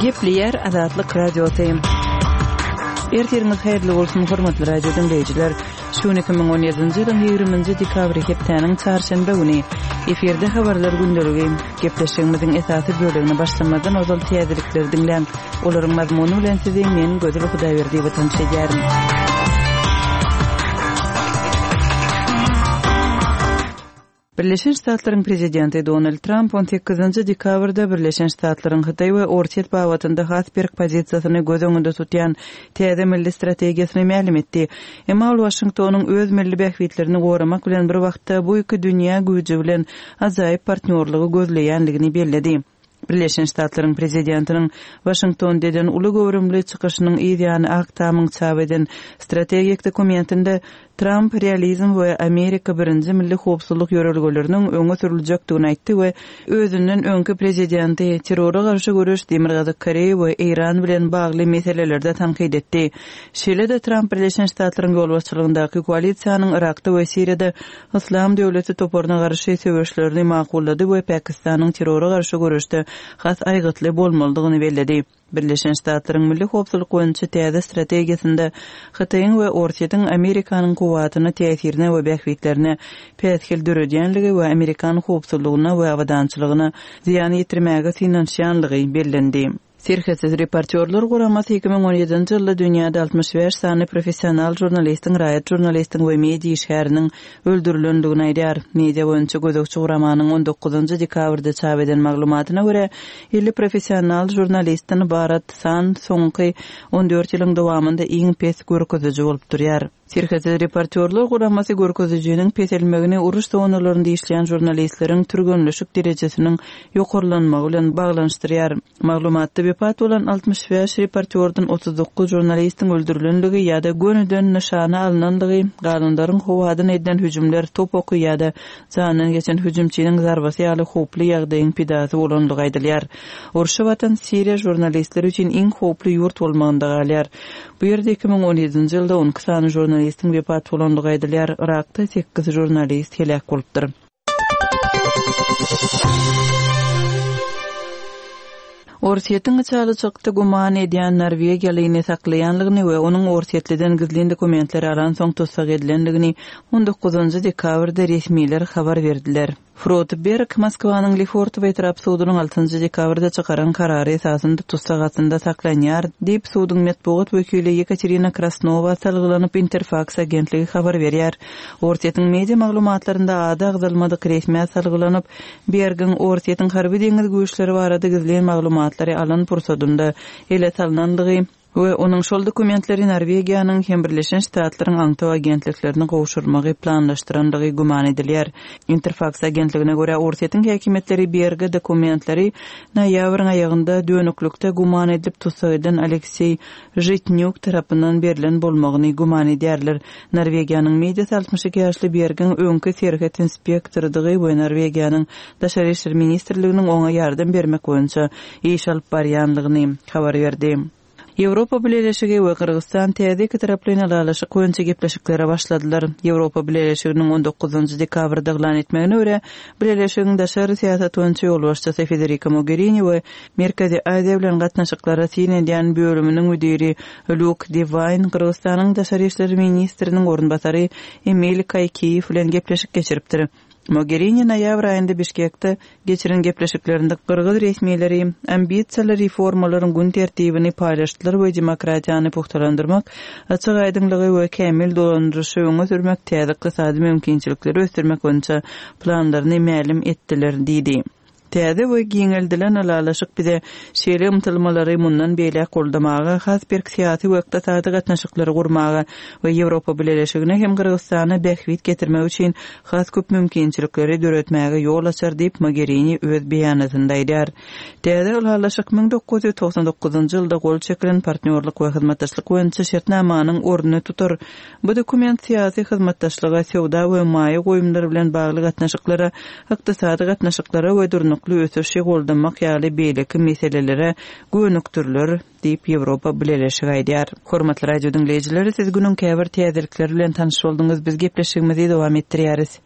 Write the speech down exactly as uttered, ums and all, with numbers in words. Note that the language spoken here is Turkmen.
Gepleýär Azatlyk Radiosy. Ertiriňiz haýyrly bolsun, hormatly radio diňleýjiler. Şu gün iki müň on ýedinji ýylyň ýigriminji dekabry hepdäniň çarşenbe güni. Efirde habarlar gündeligi. Gepleşigimiziň esasy bölegine başlamazdan ozal täzelikleri diňläň. Olaryň mazmuny bilen sizi men Gözel Hudaýberdiýewa tanyş edýärin. Birleşen Ştatlaryň prezidenti Donald Tramp on sekizinji dekabrda Birleşen Ştatlaryň Hytaý we Orsýet babatynda has berk pozisiýasyny göz öňünde tutýan täze milli strategiýasyny mälim etdi. Emma ol Waşingtonyň öz milli bähbitlerini goramak bilen bir wagtda bu iki dünýä güýji bilen ajaýyp partnýorlygy gözleýändigini belledi. Birleşen Ştatlaryň prezidentiniň Waşingtonda eden uly göwrümli çykyşynyň yz ýany Ak Tamyň çap eden strategik dokumentinde Tramp realizm we Amerika birinji milli howpsuzlyk ýörelgeleriniň öňe sürüljekdigini aýtdy we özünden öňki prezidenti terrora garşy göreş Demirgazyk Koreýa we Eýran bilen bagly meselelerde tankyt etdi. Şeýle-de Tramp Birleşen Ştatlaryň ýolbaşçylygyndaky koalisiýanyň Yrakda we Siriýada Yslam döwleti toparyna garşy söweşlerini makullady we Pakistanyň terrora garşy göreşde has aýgytly bolmalydygyny belledi. Birleşen Ştatlaryň milli howpsuzlyk boýunça täze strategiýasynda Hytaýyň we Orsýetiň Amerikanyň kuwwatyna täsirine we bähbitlerine päsgel döredýänligi we Amerikan howpsuzlygyna we abadançylygyna zyýan ýetirmäge synanyşýanlygy bellendi. Serhetsiz reportýorlar guramasy iki müň on ýedinji ýylda dünýäde altmyş bäş sany professional žurnalistiň, raýat žurnalistiň we media işgäriniň öldürilendigini aýdýar. Media boýunça gözegçi guramanyň on dokuzynjy dekabrda çap eden maglumatyna görä, elli professional žurnalistden ybarat san soňky on dört ýylyň dowamynda iň pes görkeziji bolup durýar. Serhetsiz reportýorlar guramasy görkezijiniň peselmegini uruş zonalarynda işleýän žurnalistleriň türgenleşik derejesiniň ýokarlanmagy bilen baglanyşdyrýar. Maglumatda wepat bolan altmyş bäş reportýordan otuz dokuz žurnalistiň öldürilenligi ýa-da gönüden nyşana alynanlygy, galanlaryň howadan edilen hüjümler, top oky ýa-da jandan geçen hüjümçiniň zarbasy ýaly howply ýagdaýyň pidasy bolanlygy aýdylýar. Urşa batan Siriýa žurnalistler üçin iň howply ýurt bolmagynda galýar. Bu ýerde iki müň on ýedinji ýylda on iki sany žurnalistiň wepat bolanlygy aýdylýar. Yrakda sekiz žurnalist heläk bolupdyr. Orsýetiň içalyçykda güman edýän Norwegiýalyny saklaýanlygyny we onuň Orsýetliden gizlin dokumentleri alan soň tussag edilendigini on dokuzynjy dekabrda resmiler habar berdiler. Frode Berg Moskwanyň Lefortowo etrap sudunyň altynjy dekabrda çykaran karary esasynda tussag astynda saklanýar diýip suduň metbugat wekili Ýekaterina Krasnowa salgylanyp Interfax agentligi habar berýär. Orsýetiň media maglumatlarynda ady agzalmadyk resmiýet salgylanyp Bergiň Orsýetiň harby deňiz güýçleri barada gizlin maglumatlary alan pursadynda ele salynandygy we onuň şol dokumentleri Norwegiýanyň hem Birleşen Ştatlaryň aňtaw agentliklerini gowşurmagy planlaşdyrandygy güman edilýär. Interfax agentligine görä Orsýetiň häkimiýetleri Berge dokumentleri noýabryň aýagynda dönüklikde güman edilip tussag edilen Aleksey Žitnýuk tarapyndan berlen bolmagyny güman edýärler. Norwegiýanyň mediasy altmyş iki ýaşly Bergiň öňki serhet inspektorydygy we Norwegiýanyň Daşary işler ministrliginiň oňa ýardam bermek boýunça iş alyp barýanlygyny habar berdi. Ýewropa Bileleşigi we Gyrgyzystan täze iki taraplaýyn ylalaşyk boýunça gepleşiklere başladylar. Ýewropa Bileleşiginiň on dokuzynjy dekabrda yglan etmegine görä, Bileleşigiň daşary syýasat boýunça ýolbaşçysy Federica Mogherini we Merkezi Aziýa bilen gatnaşyklara syn edýän bölüminiň müdiri Luke Devine Gyrgyzystanyň daşary işler ministriniň orunbasary Emil Kaýkiýew bilen gepleşik geçiripdir. Mogherini noýabr aýynda Bişkekde geçiren gepleşiklerinde Gyrgyz resmileri ambisiýaly reformalaryň gün tertibini paýlaşdylar we demokratiýany pugtalandyrmak, açyk aýdyňlygy we kämil dolandyryşy öňe sürmek, täze ykdysady mümkinçilikleri ösdürmek boýunça planlaryny mälim etdiler diýdi. Täze we giňeldilen ylalaşyk bize şeýle ymtylmalary mundan beýläk goldamaga, has berk syýasy we ykdysady gatnaşyklary gurmaga we Ýewropa Bileleşigine hem Gyrgyzystana bähbit getirmek üçin has köp mümkinçilikleri döretmäge ýol açar diýip Mogherini öz beýanatynda aýdýar. Täze ylalaşyk müň dokuz ýüz togsan dokuzynjy ýylda gol çekilen partnýorlyk we hyzmatdaşlyk boýunça şertnamanyň ornuny tutar. Bu dokument syýasy hyzmatdaşlyga, söwda we maýa goýumlary bilen bagly gatnaşyklara, ykdysady gatnaşyklara we durnukly ösüşi goldamak ýaly beýleki meselelere gönükdiriler diýip Ýewropa Bileleşigi aýdýar. Hormatly radio diňleýjileri, siz günüň käbir täzelikleri bilen tanyş bolduňyz. Biz gepleşigimizi dowam etdirýäris.